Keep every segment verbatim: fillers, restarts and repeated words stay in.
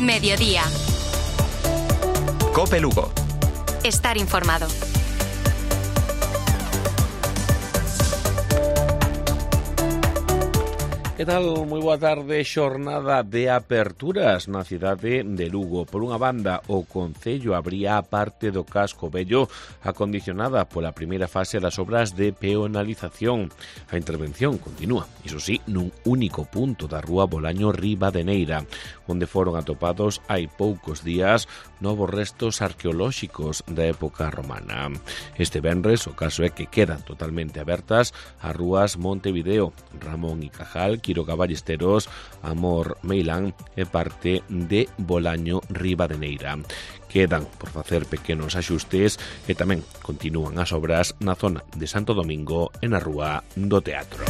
Mediodía. COPE Lugo. Estar informado. Que tal? Moi boa tarde. Xornada de aperturas na cidade de Lugo. Por unha banda, o Concello abría a parte do casco vello acondicionada pola primeira fase das obras de peonalización. A intervención continúa, iso sí, nun único punto da rúa Bolaño Ribadeneira, onde foron atopados hai poucos días novos restos arqueolóxicos da época romana. Este venres, o caso é que quedan totalmente abertas as rúas Montevideo, Ramón y Cajal, Quiroga Ballesteros, Amor Meilán e parte de Bolaño Ribadeneira. Quedan por facer pequenos axustes e tamén continúan as obras na zona de Santo Domingo e na rúa do Teatro.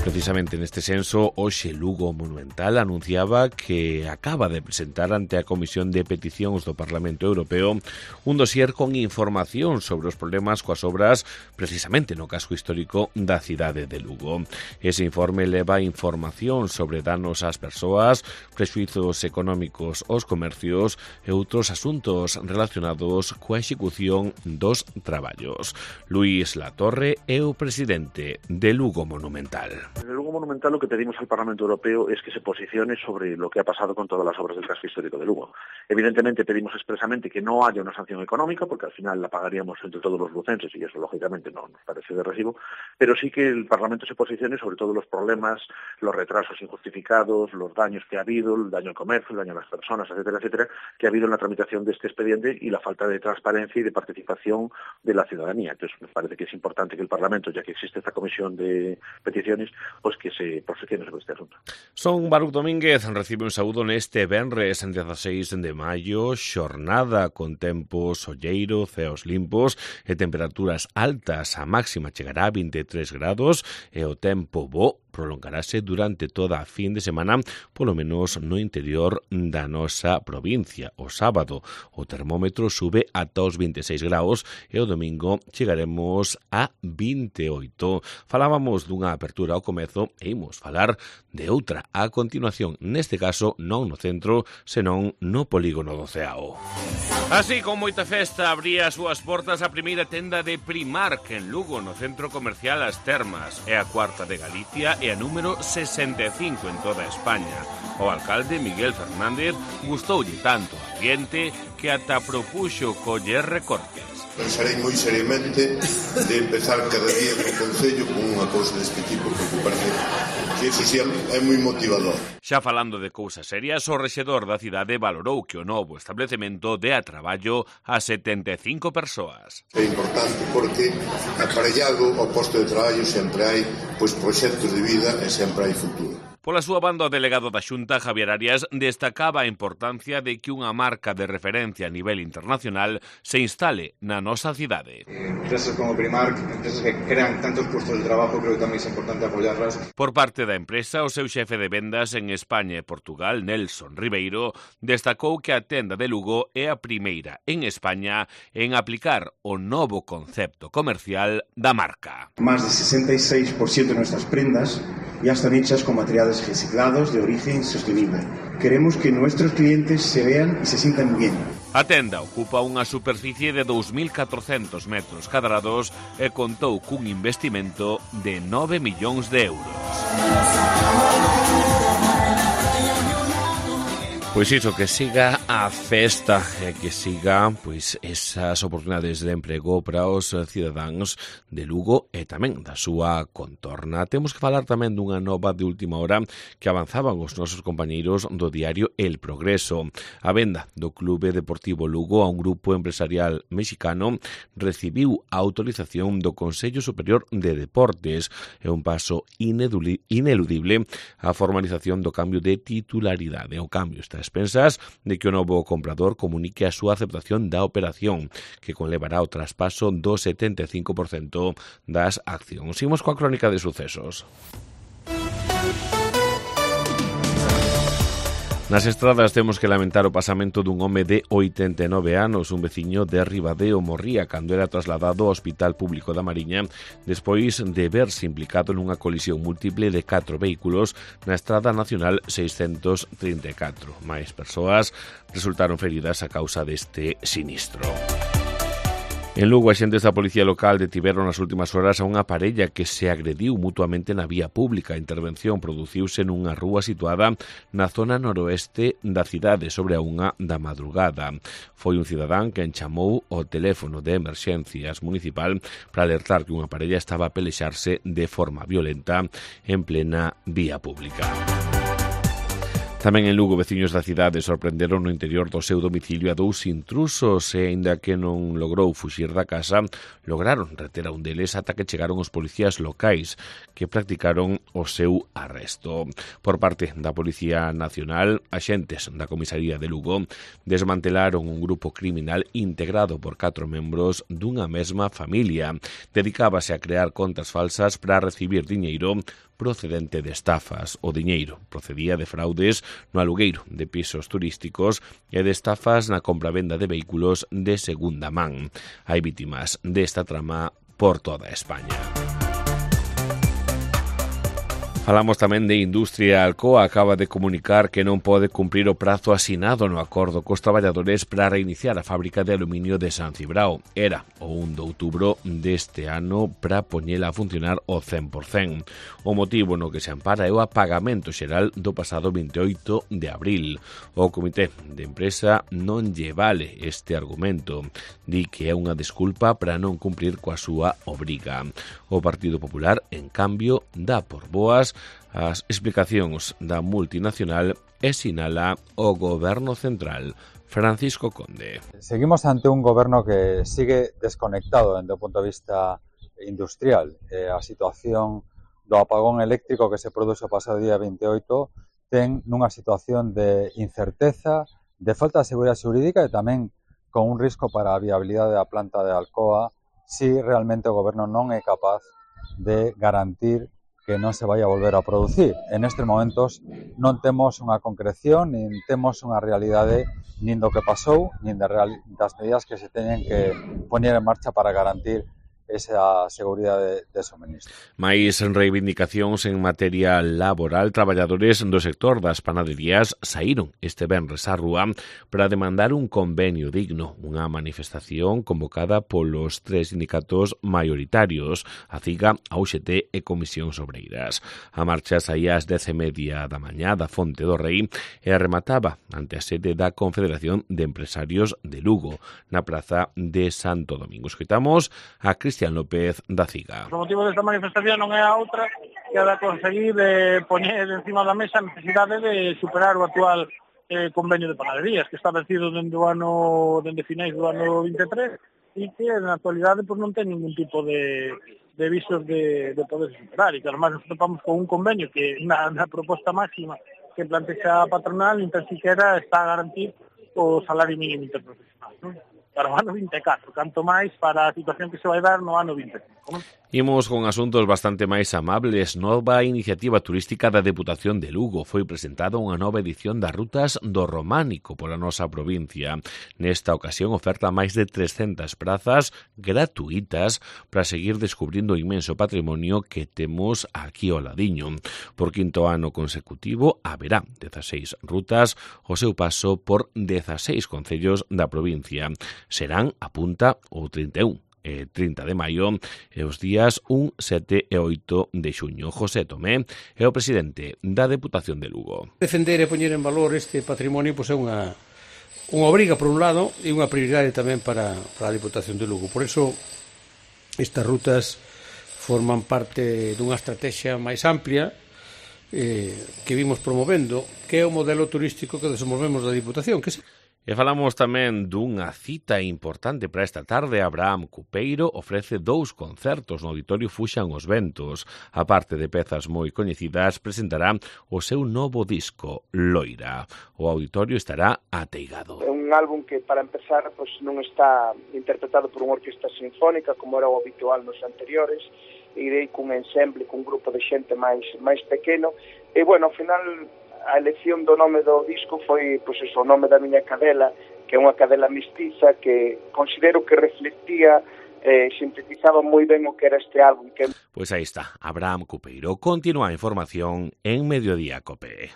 Precisamente neste senso, hoxe Lugo Monumental anunciaba que acaba de presentar ante a Comisión de Peticións do Parlamento Europeo un dossier con información sobre os problemas coas obras precisamente no casco histórico da cidade de Lugo. Ese informe leva información sobre danos ás persoas, prexuizos económicos aos comercios e outros asuntos relacionados coa execución dos traballos. Luís Latorre é o presidente de Lugo Monumental. Desde Lugo Monumental lo que pedimos al Parlamento Europeo es que se posicione sobre lo que ha pasado con todas las obras del casco histórico de Lugo. Evidentemente pedimos expresamente que no haya una sanción económica, porque al final la pagaríamos entre todos los lucenses y eso lógicamente no nos parece de recibo, pero sí que el Parlamento se posicione sobre todos los problemas, los retrasos injustificados, los daños que ha habido, el daño al comercio, el daño a las personas, etcétera, etcétera, que ha habido en la tramitación de este expediente y la falta de transparencia y de participación de la ciudadanía. Entonces me parece que es importante que el Parlamento, ya que existe esta comisión de peticiones, pois que se posicione sobre este asunto. Son Baruch Domínguez, recibe un saúdo neste venres dezasseis de maio, xornada con tempo solleiro, ceos limpos e temperaturas altas. A máxima chegará a vinte e tres grados e o tempo bo prolongarase durante toda a fin de semana, polo menos no interior da nosa provincia. O sábado o termómetro sube ata os vinte e seis graus e o domingo chegaremos a vinte e oito. Falábamos dunha apertura ao comezo e imos falar de outra a continuación, neste caso non no centro, senón no polígono do Ceao. Así, con moita festa, abría as súas portas a primeira tenda de Primark en Lugo, no centro comercial As Termas. É a cuarta de Galicia e a número sesenta e cinco en toda España. O alcalde Miguel Fernández gustoulle tanto o ambiente que ata propuxo coller recortes. Pensarei moi seriamente de empezar cada día no Concello con unha cousa deste tipo, porque parece que ese sí é moi motivador. Xa falando de cousas serias, o rexedor da cidade valorou que o novo establecemento dé a traballo a setenta e cinco persoas. É importante porque aparellado ao posto de traballo sempre hai pois proxectos de vida e sempre hai futuro. Pola súa banda, o delegado da Xunta, Javier Arias, destacaba a importancia de que unha marca de referencia a nivel internacional se instale na nosa cidade. Empresas como Primark, empresas que crean tantos puestos de trabajo, creo que tamén é importante apoyarlas. Por parte da empresa, o seu xefe de vendas en España e Portugal, Nelson Ribeiro, destacou que a tenda de Lugo é a primeira en España en aplicar o novo concepto comercial da marca. Más de sesenta y seis por ciento de nuestras prendas ya están hechas con materiales reciclados de origen sostenible. Queremos que nuestros clientes se vean y se sientan bien. A tenda ocupa unha superficie de dous mil catrocentos metros cadrados e contou cun investimento de nove millóns de euros. Pois iso, que siga a festa e que siga pois esas oportunidades de emprego para os cidadáns de Lugo e tamén da súa contorna. Temos que falar tamén dunha nova de última hora que avanzaban os nosos compañeiros do diario El Progreso. A venda do Clube Deportivo Lugo a un grupo empresarial mexicano recibiu a autorización do Consello Superior de Deportes. É un paso ineludible a formalización do cambio de titularidade. O cambio está expensas de que o novo comprador comunique a súa aceptación da operación, que conlevará o traspaso do setenta e cinco por cento das accións. Imos coa crónica de sucesos. Nas estradas temos que lamentar o pasamento dun home de oitenta e nove anos. Un veciño de Ribadeo morría cando era trasladado ao Hospital Público da Mariña despois de verse implicado nunha colisión múltiple de catro vehículos na Estrada Nacional seiscentos trinta e catro. Máis persoas resultaron feridas a causa deste sinistro. En Lugo, axentes da Policía Local detiveron nas últimas horas a unha parella que se agrediu mutuamente na vía pública. A intervención produciuse nunha rúa situada na zona noroeste da cidade sobre a unha da madrugada. Foi un cidadán que chamou ao teléfono de emerxencias municipal para alertar que unha parella estaba a pelexarse de forma violenta en plena vía pública. Tamén en Lugo, veciños da cidade sorprenderon no interior do seu domicilio a dous intrusos e, aínda que non logrou fuxir da casa, lograron reter a un deles ata que chegaron os policías locais que practicaron o seu arresto. Por parte da Policía Nacional, axentes da Comisaría de Lugo desmantelaron un grupo criminal integrado por catro membros dunha mesma familia. Dedicábase a crear contas falsas para recibir diñeiro procedente de estafas. O diñeiro procedía de fraudes no alugueiro de pisos turísticos e de estafas na compra-venda de vehículos de segunda man. Hai vítimas desta trama por toda España. Falamos tamén de industria. Alcoa acaba de comunicar que non pode cumprir o prazo asinado no acordo cos traballadores para reiniciar a fábrica de aluminio de San Cibrao. Era o un de outubro deste ano para poñela a funcionar ao cen por cen. O motivo no que se ampara é o apagamento xeral do pasado vinte e oito de abril. O comité de empresa non lle vale este argumento. Di que é unha desculpa para non cumprir coa súa obriga. O Partido Popular, en cambio, dá por boas as explicacións da multinacional e sinala o Goberno Central. Francisco Conde. Seguimos ante un goberno que sigue desconectado desde o punto de vista industrial. Eh, a situación do apagón eléctrico que se produce o pasado día vinte e oito ten nunha situación de incerteza, de falta de seguridade xurídica e tamén con un risco para a viabilidade da planta de Alcoa si realmente o goberno non é capaz de garantir que non se vai a volver a producir. En estes momentos non temos unha concreción, nin temos unha realidade nin do que pasou, nin de real, das medidas que se teñen que poñer en marcha para garantir esa seguridade de suministro. Mais reivindicacións en materia laboral. Traballadores do sector das panaderías saíron este venres á rúa para demandar un convenio digno, unha manifestación convocada polos tres sindicatos maioritarios, a CIGA, a U X T e Comisións Obreiras. A marcha saía ás dez e media da mañá da Fonte do Rei e remataba ante a sede da Confederación de Empresarios de Lugo, na praza de Santo Domingo. Escoitamos a Cristian López da CIGA. O motivo desta manifestación non é a outra que a de conseguir de poñer encima da mesa a necesidade de superar o actual eh, convenio de panaderías que está vencido dende o ano dende finais do ano vinte e tres e que na actualidade pues, non ten ningún tipo de, de visos de, de poder superar e que además nos topamos con un convenio que na, na proposta máxima que plantexa a patronal nin tan siquiera está a garantir o salario mínimo interprofesional, non? Para o ano vinte e catro, canto máis para a situación que se vai dar no ano vinte e cinco. Non? Imos con asuntos bastante máis amables. Nova iniciativa turística da Deputación de Lugo. Foi presentada unha nova edición das Rutas do Románico pola nosa provincia. Nesta ocasión oferta máis de trescentas prazas gratuitas para seguir descubrindo o inmenso patrimonio que temos aquí ao ladiño. Por quinto ano consecutivo haberá dezaseis rutas o seu paso por dezaseis concellos da provincia. Serán, apunta, o trinta e un e trinta de maio e os días un, sete e oito de xuño. José Tomé é o presidente da Deputación de Lugo. Defender e poñer en valor este patrimonio pois é unha unha obriga por un lado e unha prioridade tamén para, para a Deputación de Lugo. Por iso estas rutas forman parte dunha estrategia máis amplia eh, que vimos promovendo, que é o modelo turístico que desenvolvemos da Deputación, que se E falamos tamén dunha cita importante para esta tarde. Abraham Cupeiro ofrece dous concertos no Auditorio Fuxan os Ventos. A parte de pezas moi coñecidas, presentará o seu novo disco, Loira. O auditorio estará ateigado. É un álbum que, para empezar, pues, non está interpretado por unha orquesta sinfónica, como era o habitual nos anteriores. Irei cun ensemble, cun grupo de xente máis máis pequeno. E, bueno, ao final, a elección do nome do disco foi pois, eso, o nome da miña cadela, que é unha cadela mestiza que considero que reflectía, eh, sintetizaba moi ben o que era este álbum. Que... Pois aí está, Abraham Cupeiro. Continúa a información en Mediodía Cope.